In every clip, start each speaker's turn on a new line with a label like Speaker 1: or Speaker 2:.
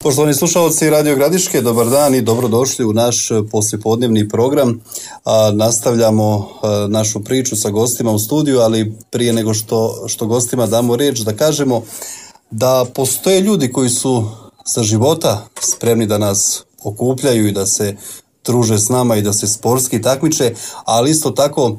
Speaker 1: Poštovani slušalci Radio Gradiške, dobar dan i dobrodošli u naš poslijepodnevni program. Nastavljamo našu priču sa gostima u studiju, ali prije nego što gostima damo riječ da kažemo da postoje ljudi koji su za života spremni da nas okupljaju i da se druže s nama i da se sportski takmiče, ali isto tako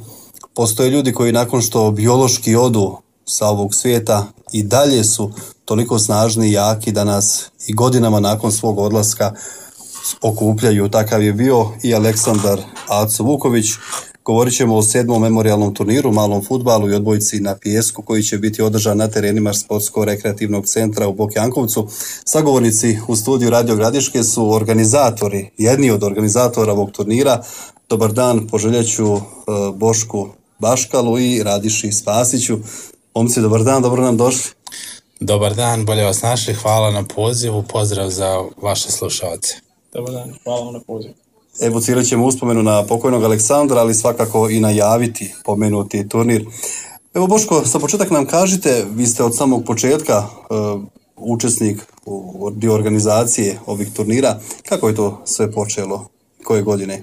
Speaker 1: postoje ljudi koji nakon što biološki odu sa ovog svijeta i dalje su toliko snažni i jaki da nas i godinama nakon svog odlaska okupljaju. Takav je bio i Aleksandar Aco Vuković. Govorit ćemo o 7. memorijalnom turniru, malom fudbalu i odbojci na pijesku koji će biti održan na terenima Sportsko-rekreativnog centra u Bokjankovcu. Sagovornici u studiju Radio Gradiške su organizatori, jedni od organizatora ovog turnira. Dobar dan, poželjeću Bošku Baškalu i Radiši Spasiću. Momci, dobar dan, dobro nam došli.
Speaker 2: Dobar dan, bolje vas našli, hvala na pozivu, pozdrav za vaše slušalce.
Speaker 3: Dobar dan, hvala vam na pozivu.
Speaker 1: Evocirat ćemo uspomenu na pokojnog Aleksandra, ali svakako i najaviti pomenuti turnir. Evo Boško, sa početak nam kažite, vi ste od samog početka učesnik u dio organizacije ovih turnira. Kako je to sve počelo? Koje godine?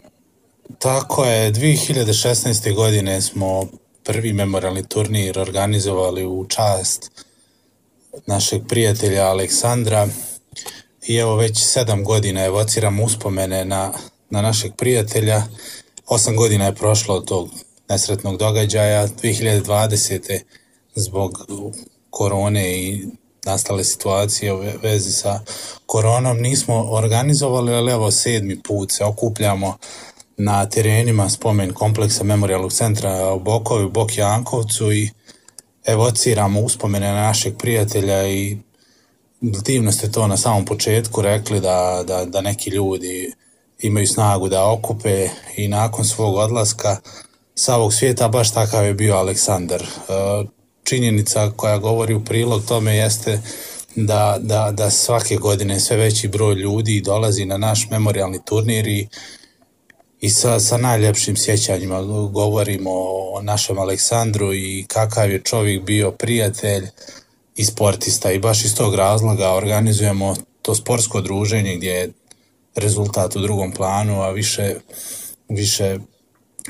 Speaker 2: Tako je, 2016. godine smo prvi memorijalni turnir organizovali u čast našeg prijatelja Aleksandra i evo već 7 godina evociramo uspomene na našeg prijatelja. 8 godina je prošlo od tog nesretnog događaja. 2020. zbog korone i nastale situacije u vezi sa koronom nismo organizovali, ali evo 7. put se okupljamo na terenima spomen kompleksa memorijalnog centra u Bokovi, u Bokjankovcu i evociramo uspomene na našeg prijatelja i divno ste to na samom početku rekli da neki ljudi imaju snagu da okupe i nakon svog odlaska sa ovog svijeta baš takav je bio Aleksandar. Činjenica koja govori u prilog tome jeste da svake godine sve veći broj ljudi dolazi na naš memorijalni turnir i sa najljepšim sjećanjima govorimo o našem Aleksandru i kakav je čovjek bio prijatelj i sportista i baš iz tog razloga organizujemo to sportsko druženje gdje je rezultat u drugom planu, a više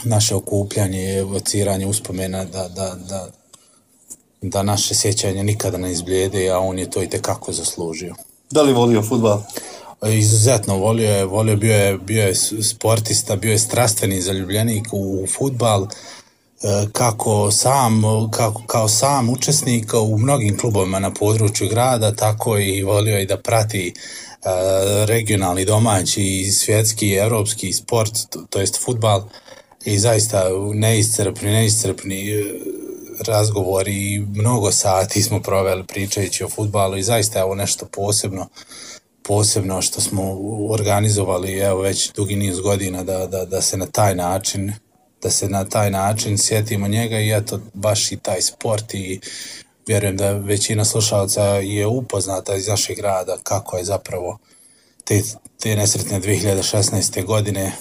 Speaker 2: naše okupljanje je evociranje uspomena da naše sjećanje nikada ne izblijede, a on je to itekako zaslužio.
Speaker 1: Da li volio fudbal?
Speaker 2: Izuzetno volio, bio je sportista, bio je strastveni zaljubljenik u fudbal, kao sam učesnik u mnogim klubovima na području grada, tako i volio i da prati regionalni, domaći i svjetski, evropski sport, to jest fudbal, i zaista neiscrpni razgovori i mnogo sati smo proveli pričajući o fudbalu i zaista je ovo nešto posebno što smo organizovali evo već dugi niz godina da se na taj način sjetimo njega i eto baš i taj sport i vjerujem da većina slušalaca je upoznata iz našeg grada kako je zapravo te nesretne 2016. godine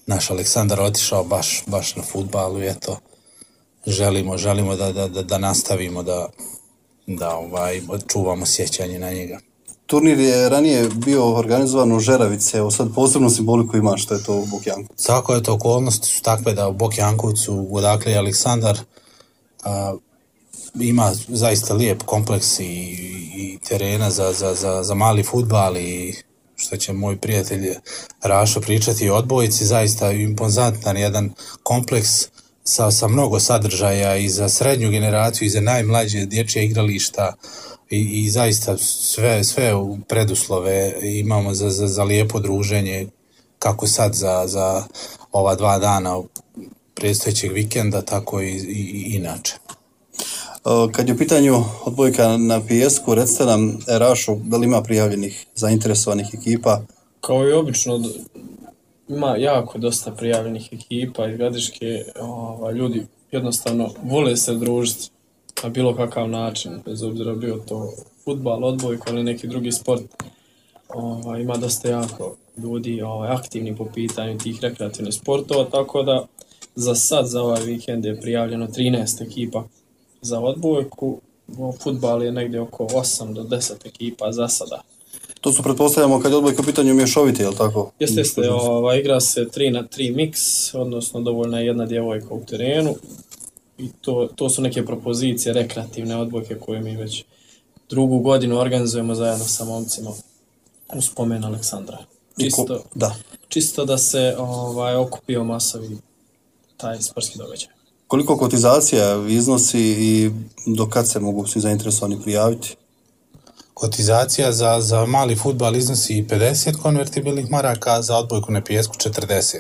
Speaker 2: naš Aleksandar otišao baš na fudbalu i eto želimo da nastavimo da čuvamo sjećanje na njega.
Speaker 1: Turnir je ranije bio organizovan u Žeravice, evo sad posebno simboliku ima što je to u Bokjankovcu.
Speaker 2: Tako je to, okolnosti su takve da u Bokjankovcu, odakle je Aleksandar, ima zaista lijep kompleks i terena za mali fudbal i što će moj prijatelj Rašo pričati o odbojci, zaista impozantan jedan kompleks sa mnogo sadržaja i za srednju generaciju i za najmlađe dječje igrališta i zaista sve preduslove imamo za lijepo druženje kako sad za ova 2 dana predstojećeg vikenda, tako i inače.
Speaker 1: Kad je u pitanju odbojka na pijesku, recite nam, Rašo, da li ima prijavljenih zainteresovanih ekipa?
Speaker 3: Kao i obično, ima jako dosta prijavljenih ekipa iz Gradiške, ljudi jednostavno vole se družiti na bilo kakav način, bez obzira bio to fudbal, odbojka ili neki drugi sport. Ima dosta jako ljudi aktivni po pitanju tih rekreativnih sportova, tako da za ovaj vikend je prijavljeno 13 ekipa za odbojku. Fudbal je negdje oko 8 do 10 ekipa za sada.
Speaker 1: To su, pretpostavljamo, kad je odbojka u pitanju mješovite, je li tako?
Speaker 3: Jeste, igra se 3-3 miks, odnosno dovoljna je jedna djevojka u terenu i to su neke propozicije rekreativne odbojke koje mi već drugu godinu organizujemo zajedno sa momcima u spomen Aleksandra. Čisto da se okupio masovi taj sportski događaj.
Speaker 1: Koliko kotizacija iznosi i do kad se mogu svi zainteresovani prijaviti?
Speaker 2: Kotizacija za mali fudbal iznosi 50 konvertibilnih maraka, za odbojku na pijesku 40.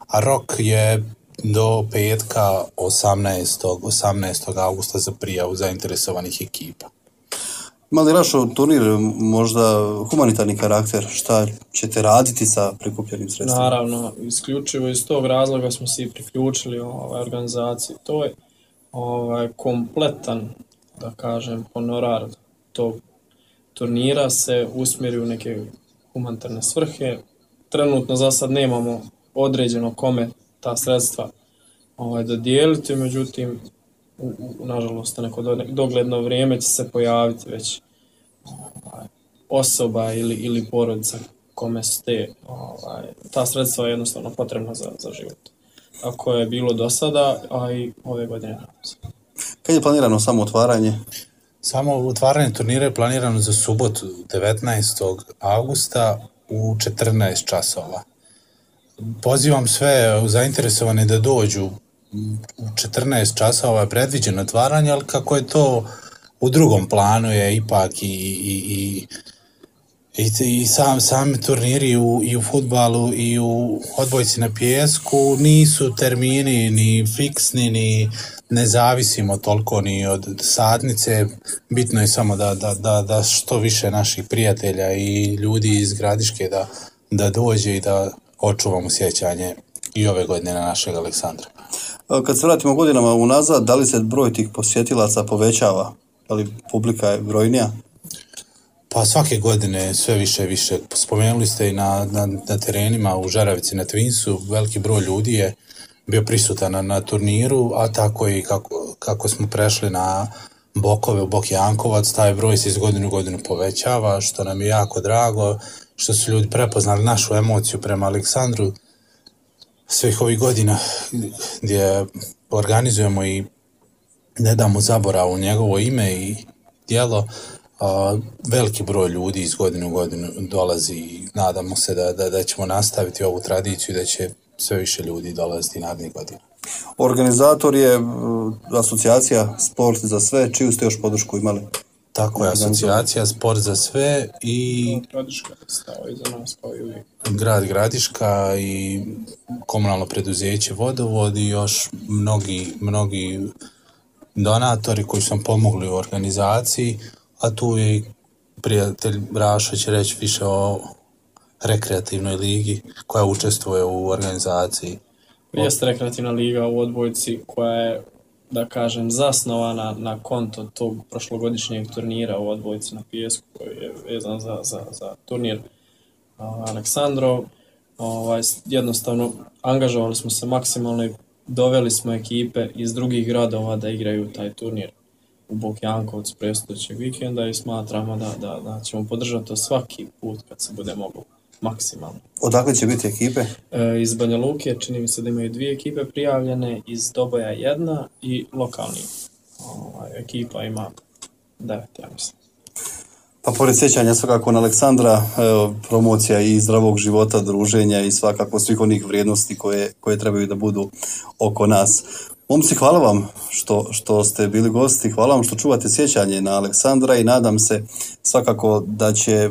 Speaker 2: A rok je do petka 18. augusta za prijavu zainteresovanih ekipa.
Speaker 1: Ima li Rašo turnir možda humanitarni karakter? Šta ćete raditi sa prikupljenim sredstvima?
Speaker 3: Naravno, isključivo iz tog razloga smo se i priključili organizaciji. To je kompletan, da kažem, honorar tog turnira se usmjeri u neke humanitarne svrhe. Trenutno za sad nemamo određeno kome ta sredstva dodijeliti, međutim, nažalost, neko dogledno vrijeme će se pojaviti već osoba ili porodica kome su ta sredstva jednostavno potrebna za život. Tako je bilo do sada, a i ove godine.
Speaker 1: Kad je planirano samo otvaranje?
Speaker 2: Samo otvaranje turnira je planirano za subotu 19. augusta u 14 časova. Pozivam sve zainteresovane da dođu u 14 časova je predviđeno otvaranje, ali kako je to u drugom planu je ipak i sami turniri i u fudbalu i u odbojci na pijesku nisu termini ni fiksni, ni ne zavisimo toliko ni od satnice. Bitno je samo da što više naših prijatelja i ljudi iz Gradiške da dođe i da očuvamo sjećanje i ove godine na našeg Aleksandra.
Speaker 1: Kad se vratimo godinama unazad, da li se broj tih posjetilaca povećava? Da li publika je brojnija?
Speaker 2: Pa svake godine sve više i više. Spomenuli ste i na terenima u Žaravici na Twinsu, veliki broj ljudi je bio prisutan na turniru, a tako i kako smo prešli na Bokove u Bok Jankovac, taj broj se iz godine u godinu povećava, što nam je jako drago, što su ljudi prepoznali našu emociju prema Aleksandru svih ovih godina gdje organizujemo i ne damo zaboravu njegovo ime i djelo. Veliki broj ljudi iz godine u godinu dolazi i nadamo se da ćemo nastaviti ovu tradiciju i da će sve više ljudi dolaziti narednih godina.
Speaker 1: Organizator je asocijacija Sport za sve, čiju ste još podršku imali?
Speaker 2: Tako je, asocijacija Sport za sve i
Speaker 3: Gradiška stao iza nas kao i uvijek.
Speaker 2: Grad Gradiška i komunalno preduzeće Vodovod i još mnogi donatori koji su nam pomogli u organizaciji, a tu je prijatelj Rašo će reći više o rekreativnoj ligi koja učestvuje u organizaciji.
Speaker 3: Jeste rekreativna liga u odbojci koja je, da kažem, zasnovana na konto tog prošlogodišnjeg turnira u odbojci na pijesku koji je vezan za turnir Aleksandrov. Jednostavno angažovali smo se maksimalno i doveli smo ekipe iz drugih gradova da igraju taj turnir u Bok Jankovcu predstojećeg vikenda i smatramo da ćemo podržati to svaki put kad se bude moglo maksimalno.
Speaker 1: Odakle će biti ekipe?
Speaker 3: Iz Banja Luke čini mi se da imaju 2 ekipe prijavljene, iz Doboja 1 i lokalni ekipa ima 9, ja mislim.
Speaker 1: Pa pored sjećanja svakako na Aleksandra, promocija i zdravog života, druženja i svakako svih onih vrijednosti koje trebaju da budu oko nas. Momci, hvala vam što ste bili gosti, hvala vam što čuvate sjećanje na Aleksandra i nadam se svakako da će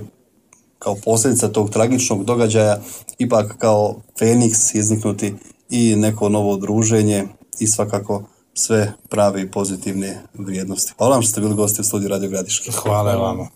Speaker 1: kao posljedica tog tragičnog događaja ipak kao Feniks izniknuti i neko novo druženje i svakako sve prave i pozitivne vrijednosti. Hvala vam što ste bili gosti u studiju Radio Gradiške.
Speaker 2: Hvala vama.